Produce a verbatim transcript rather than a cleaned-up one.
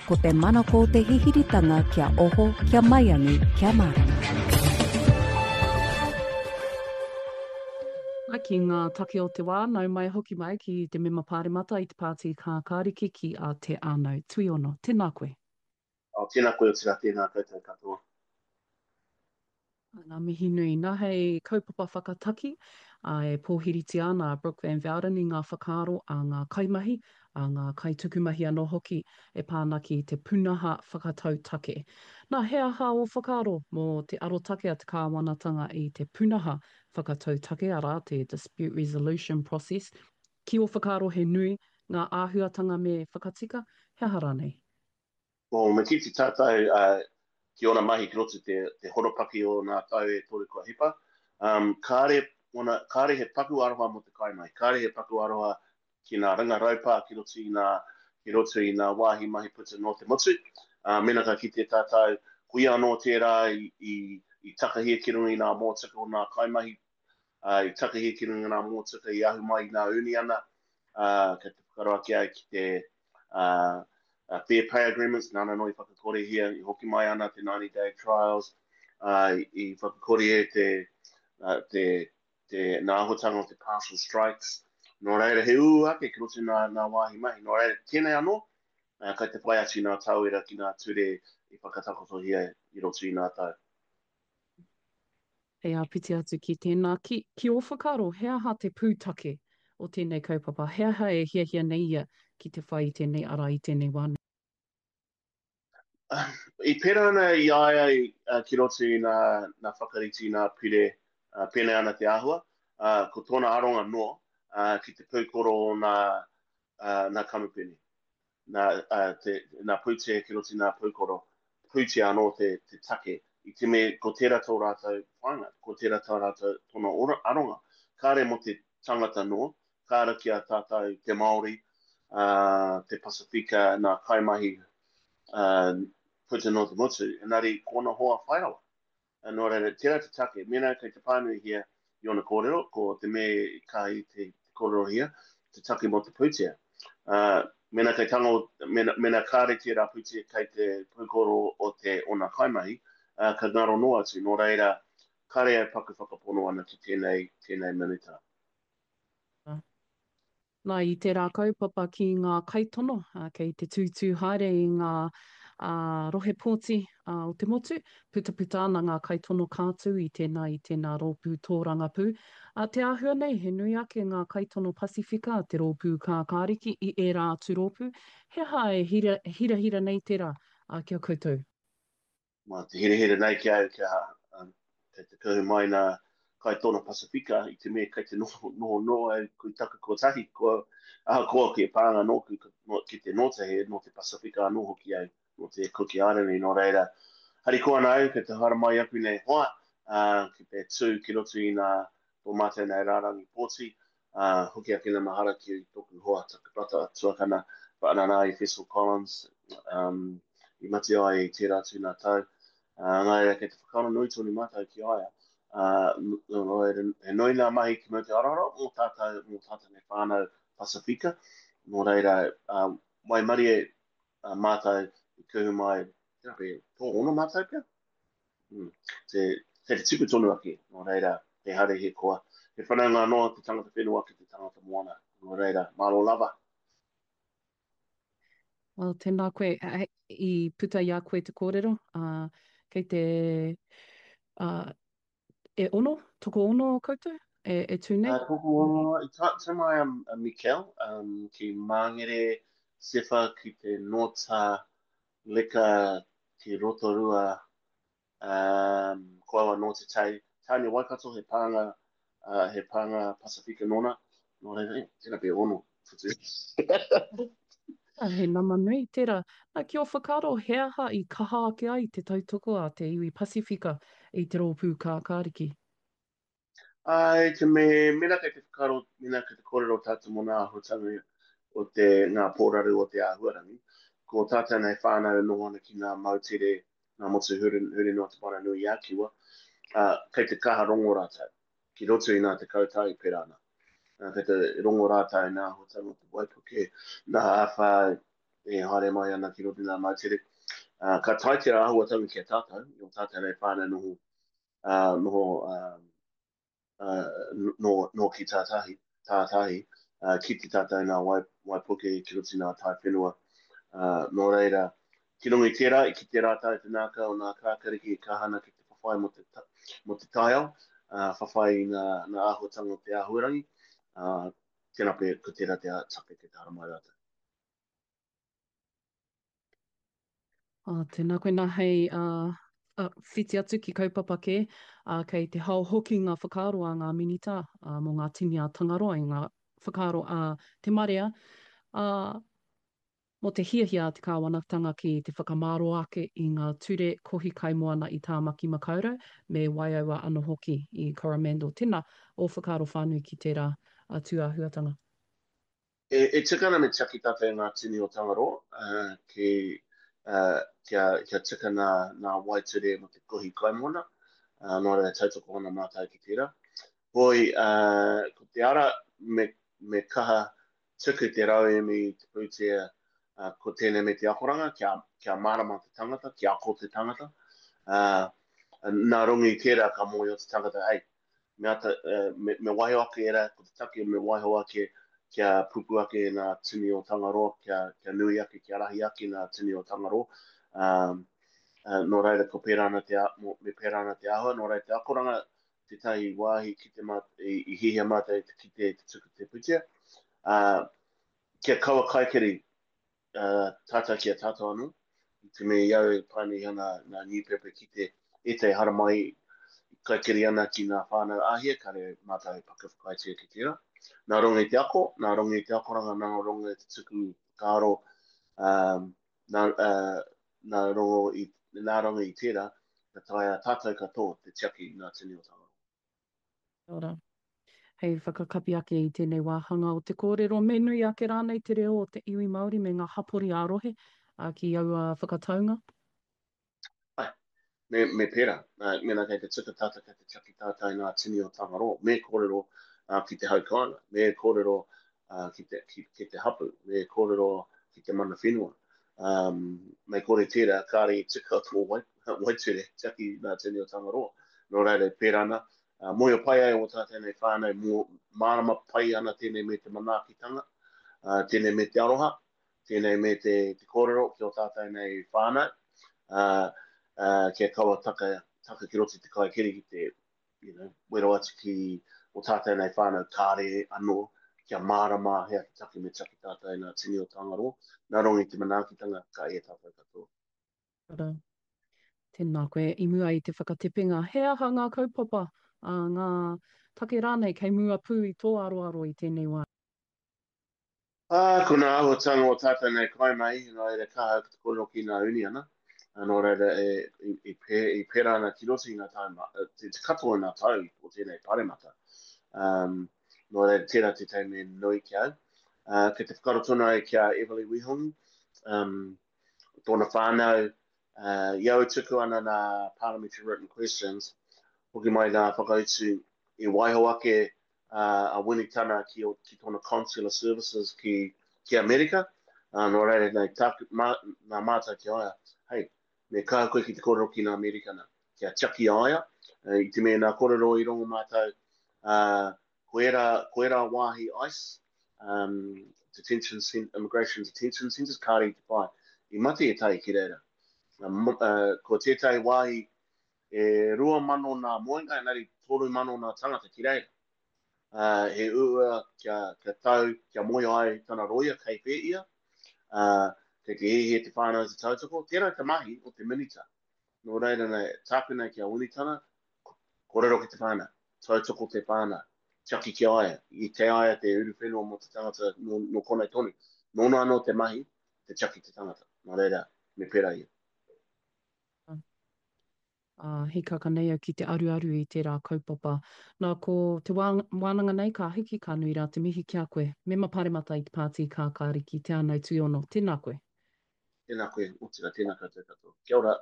Ko te manako o te hihiritanga kia oho, kia maiangi, kia mārama. Ki ngā take o te wā, nau mai hoki mai ki te mema pāremata i te Pāti Kākāriki ki a Te Ānau Tuiono. Tēnā koe. Oh, tēnā koe, otirā tēnā koutou katoa. Ngā mihi nui. Nā hei kaupapa whakataki, ā, e pōhiritia ana a Brooke Van Velden i ngā whakaaro a ngā kaimahi, a ngā kaitukumahi anō hoki e pā ana ki te pūnaha whakatau take. Nā, he aha ō whakaaro mō te arotake a te kāwanatanga i te pūnaha whakatau take, arā, te dispute resolution process? Ki ō whakaaro he nui ngā āhuatanga me whakatika, he aha rānei? Well, me kite tātou uh, ki ōna mahi ki roto te, te horopaki o nā tau e toru kua hipa, um, kāre, ona, kāre he paku aroha mō te kaimahi, kāre he paku aroha ki nā ringa raupā ki roto i nā, ki roto i nā wāhi mahi puta nō te motu. Uh, mena ka kite tātou, ko ia anō tērā i, i, i takahia ki runga i nā mōtika o nā kaimahi, uh, i takahia ki runga i nā mōtika i ahu mai i nā uniana, uh, kei te whakaaro ake ai ki te uh, uh, fair pay agreements, nāna anō i whakakorehia, i hoki mai ana te ninety day trials, uh, i whakakorea te, uh, te, te nā āhuatanga o te partial strikes. Nō reira, he ū ake ki roto i nā, nā wāhi mahi. Nō reira, tēnei anō, uh, kai te whai atu i nā tauira ki nā ture i whakatakotohia i roto i nā tau. Hei āpiti atu ki tēnā, ki, ki ō whakaaro, he aha te pūtake o tēnei kaupapa? He aha e hiahia nei ia ki te whai i tēnei ara i tēnei wā nei? I pērā ana i a ia i, uh, ki roto i nā, nā whakarite i nā pire, uh, pēnei ana te āhua, uh, ko tōna aronga noa, uh, ki te pūkoro o nā, uh, nā kamupene, nā, uh, te, nā pūtea ki roto i nā pūkoro, pūtea anō te, te take. I te mea, ko tērā tō rātou whāinga, ko tērā tā rātou tōna ora, aronga. Kāre mō te tangata noa, kāre ki a tātou te Māori, uh, te Pasifika, nā kaimahi, uh, puta noa te motu, engari ko ona hoa whairawa. Uh, nō reira, tērā te take, mēnā kei te pānuihia i ona kōrero, ko te mea i kaha i te, te kōrerohia, te take mō te pūtea. Uh, mēnā kei tango, mēnā, mēnā kāre tērā pūtea kei te pūkoro o te ona kaimahi, uh, ka ngaro noa atu. Nō reira, kāre au paku whakapono ana ki tēnei, tēnei minita. Nā, i tērā kaupapa ki ngā kaitono, uh, kei te tūtū haere i ngā, uh, rohe pōti, uh, o te motu, putaputa ana ngā kaitono kātū i tēnā i tēnā rōpū tōrangapū. Uh, te āhua nei, he nui ake ngā kaitono Pasifika, te rōpū kākāriki i ērā atu rōpū. He aha e hira, hirahira nei tērā, uh, ki a koutou? Mā te hirahira nei ki au kia, um, kei te kuhu mai nā kaitono Pasifika i te mea kei te noho, noho noa au kui taku kotahi, ko, ahakoa ki e pānga nōku no, ki te nōta he, nō te Pasifika anō hoki au, nō te Cook Island, nō reira. Harikoa ana au, kei te haere mai aku nei hoa, uh, ki te tū ki roto i nā tō mātou nei rārangi pōti, uh, hoki ake nā mahara ki tōku hoa taku rata tuakana, whaanana i Fessel Collins, um, i mate ai i tērā atu nā tau. Uh, nā reira, kei te whakaaro nui tonu mātou ki a ia. Uh, nō reira, he nui nā mahi ki Mount Arara mō tātou, mō tātou nei whānau Pasifika. Nō reira, uh, waimarie, uh, mātou i kuhu mai, tērā pea, tō ono mātou pea? Mm, te, te te tipu tonu ake. Nō reira, he hare he koa. He whanaunga anō te tangata whenua ki te tangata moana. Nō reira, māro lava. Well, tēnā koe, eh, i puta i a koe te kōrero, uh, kei te, uh, e ono, toko ono o koutou, e, e tū nei? Uh, toko ono, i ta, tū mai a, a Mikel, um, ki Māngere, Sefa ki te Nōta, Leka ki Rotorua, um, ko au anō te tei. Tāne Waikato, he pānga, uh, he pānga Pasifika nōna. Nō reira, eh, tēnā pea ono. Ah, he nama nui tērā. Nā, ki ō whakaaro, he aha i kaha ake ai te tautoko a te iwi Pasifika i te rōpū kākāriki? Ai, te me, mena kei te whakaaro, mena kei te kōrero tātou mō ngā āhuatanga o te, ngā pōraru o te āhuarangi, ko tātou nei whānau e noho ana ki ngā moutere, ngā motu huri, huri noa te Moana Nui a Kiwa, uh, kei te kaha rongo rātou, ki roto i ngā tekau tau i pērā ana. Uh, kei te rongo rātou i ngā āhuatanga o te waipuke, ngā āwhā e haere mai ana ki roto i ngā moutere. Uh, ka tae tērā āhuatanga ki a tātou, i o tātou nei whānau noho, uh, noho, uh, uh, no, no ki tātahi, tātahi, uh, ki te tātou nā wai, waipuke ki roto i ngā tai whenua. Uh, nō reira, ki runga i tērā, i kite rātou te nākau o ngā kākariki e kaha ana ki te whawhai mō te, mō te taiao, uh, whawhai i ngā, ngā āhuatanga o te āhuarangi, uh, tēnā pea, ko tērā te take kei te haramai rātou. Ā, tēnā koe nā hei ā, ā, whiti atu ki kaupapa kē, ā, kei te hao hoki ngā whakaaro a ngā Minita ā, mō ngā tini a Tangaroa i ngā whakaaro a te marea, ā, mō te hiahia a te kāwanatanga ki te whakamāro ake i ngā ture kohi kaimoana i Tāmaki Makaurau me Waiaua anō hoki i Coromandel. Tēnā, ō whakaaro whānui ki tērā tūāhuatanga. E, e tika ana me tiaki tātou i ngā tini o Tangaroa, uh, ki, uh, kia, kia tika nā, nā waeture mō te kohi kaimoana, uh, nō reira tautoko ana mātou ki tērā. Hoi, uh, ko te ara me, me kaha tuku te rauemi, te pūtea, uh, ko tēnei me te akoranga, kia, kia mārama te tangata, kia ako te tangata. Uh, nā runga i tērā ka mōhio te tangata, ei, me, ata, uh, me, me waiho ake era, ko te take me waiho ake kia pupu ake ngā tini o Tangaroa, kia, kia nui ake, kia rahi ake ngā tini o Tangaroa. Um, uh, nō reira, ko pērā ana te, me pērā ana te āhua, nō reira te akoranga tētahi wāhi ki te mā, i, i hihia mātou te kite te tuku te pūtea. Uh, kia kaua kaikiri uh, tātou ki a tātou anō, i te mea i au e pānui ana ngā newspaper ki te ētahi haramai kaikiri ana ki ngā whānau Āhia, kare mātou e paka whakaaetia ki tērā. Nā runga i te ako, nā runga i te akoranga, nā runga i te tuku whakaaro, um, nā, uh, nā, runga i, nā runga i tērā, ka taea tātou katoa te tiaki i ngā tini o Tangaroa. Kia ora. Hei whakakapi ake i tēnei wāhanga o te kōrero, me nui ake rānei te reo o te iwi Māori me ngā hapori ā-rohe ki aua whakataunga? Āe, me, me pērā. Mēnā kei te tuku tātou, kei te tiaki tātou i ngā tini o Tangaroa, me kōrero uh, ki te hau kāinga, me kōrero uh, ki, te, ki, ki te hapu, me kōrero ki te mana whenua. Um, me kore tērā, kāre i tika tō wai, waiture, tiaki ngā tini o Tangaroa. Nō reira, pērā ana, uh, mōhio pai ai o tātou nei whānau, mō, mārama pai ana tēnei me te manaakitanga, uh, tēnei me te aroha, tēnei me te, te kōrero ki o tātou nei whānau, uh, uh, kia kaua taka, taka ki roto i te kaikiri ki te, you know, wero atu ki o tātou nei whānau kāre anō, kia mārama hea te take me tiaki tātou i ngā tini o Tangaroa. Nā runga i te manaakitanga, ka ea tātou katoa. Ora. Tēnā koe, i mua i te whakatepenga, he aha ngā kaupapa, ā, ngā take rānei kei mua pū i tō aroaro i tēnei wā? Ā, ko ngā āhuatanga o tātou nei kaimahi, nō reira kaha ki te kōrero ki ngā uniana, ā, nō reira e, i, i, pē, i pērā ana ki roto i ngā tau, te, te katoa o ngā tau o tēnei paremata. Um, nō reira, tērā tētahi mea nui ki au. Uh, kei te whakaaro tonu ai ki a Everly Wihongi, um, tōna whānau, uh, i au tuku ana nā Parliamentary Written Questions, hoki mai nā whakautu i waiho ake uh, a Winitana ki, ki tōna Consular Services ki, ki Amerika. Uh, nō reira, nei, tāku, mā, nā mātou ki a ia, hei, me kaha koe ki te kōrero ki ngā Amerikana, kia tiaki a ia, uh, i te mea nā kōrero i rongo mātou, uh, ko ērā, ko ērā wāhi ICE, um, detention cent, immigration detention centres, kāre i te pai. I mate ētahi ki reira. Uh, uh, ko tētahi wāhi e rua mano nā moenga, engari toru mano nā tangata ki reira. Uh, he uua kia, kia tau, kia moe ai tana roia kei whē ia, uh, kei te hiahia te whānau te tautoko, tērā te mahi o te minita. Nō reira nei, tāku nei ki a Winitana, kōrero ki te whānau, tautoko te whānau, tiaki ki a ia, i kei a ia te uruwhenua mō te tangata nō, nō konei tonu. Nōna anō te mahi, te tiaki te tangata. Nō reira, me pērā ia. Ā, hīkaka nei au ki te aruaru i tērā kaupapa. Nā, ko te wā, wānanga nei ka hiki, ka nui rā te mihi ki a koe. Mema Paremata i te Pāti Kākāriki, Te Ānau Tuiono, tēnā koe. Tēnā koe, otirā, tēnā koutou katoa. Kia ora.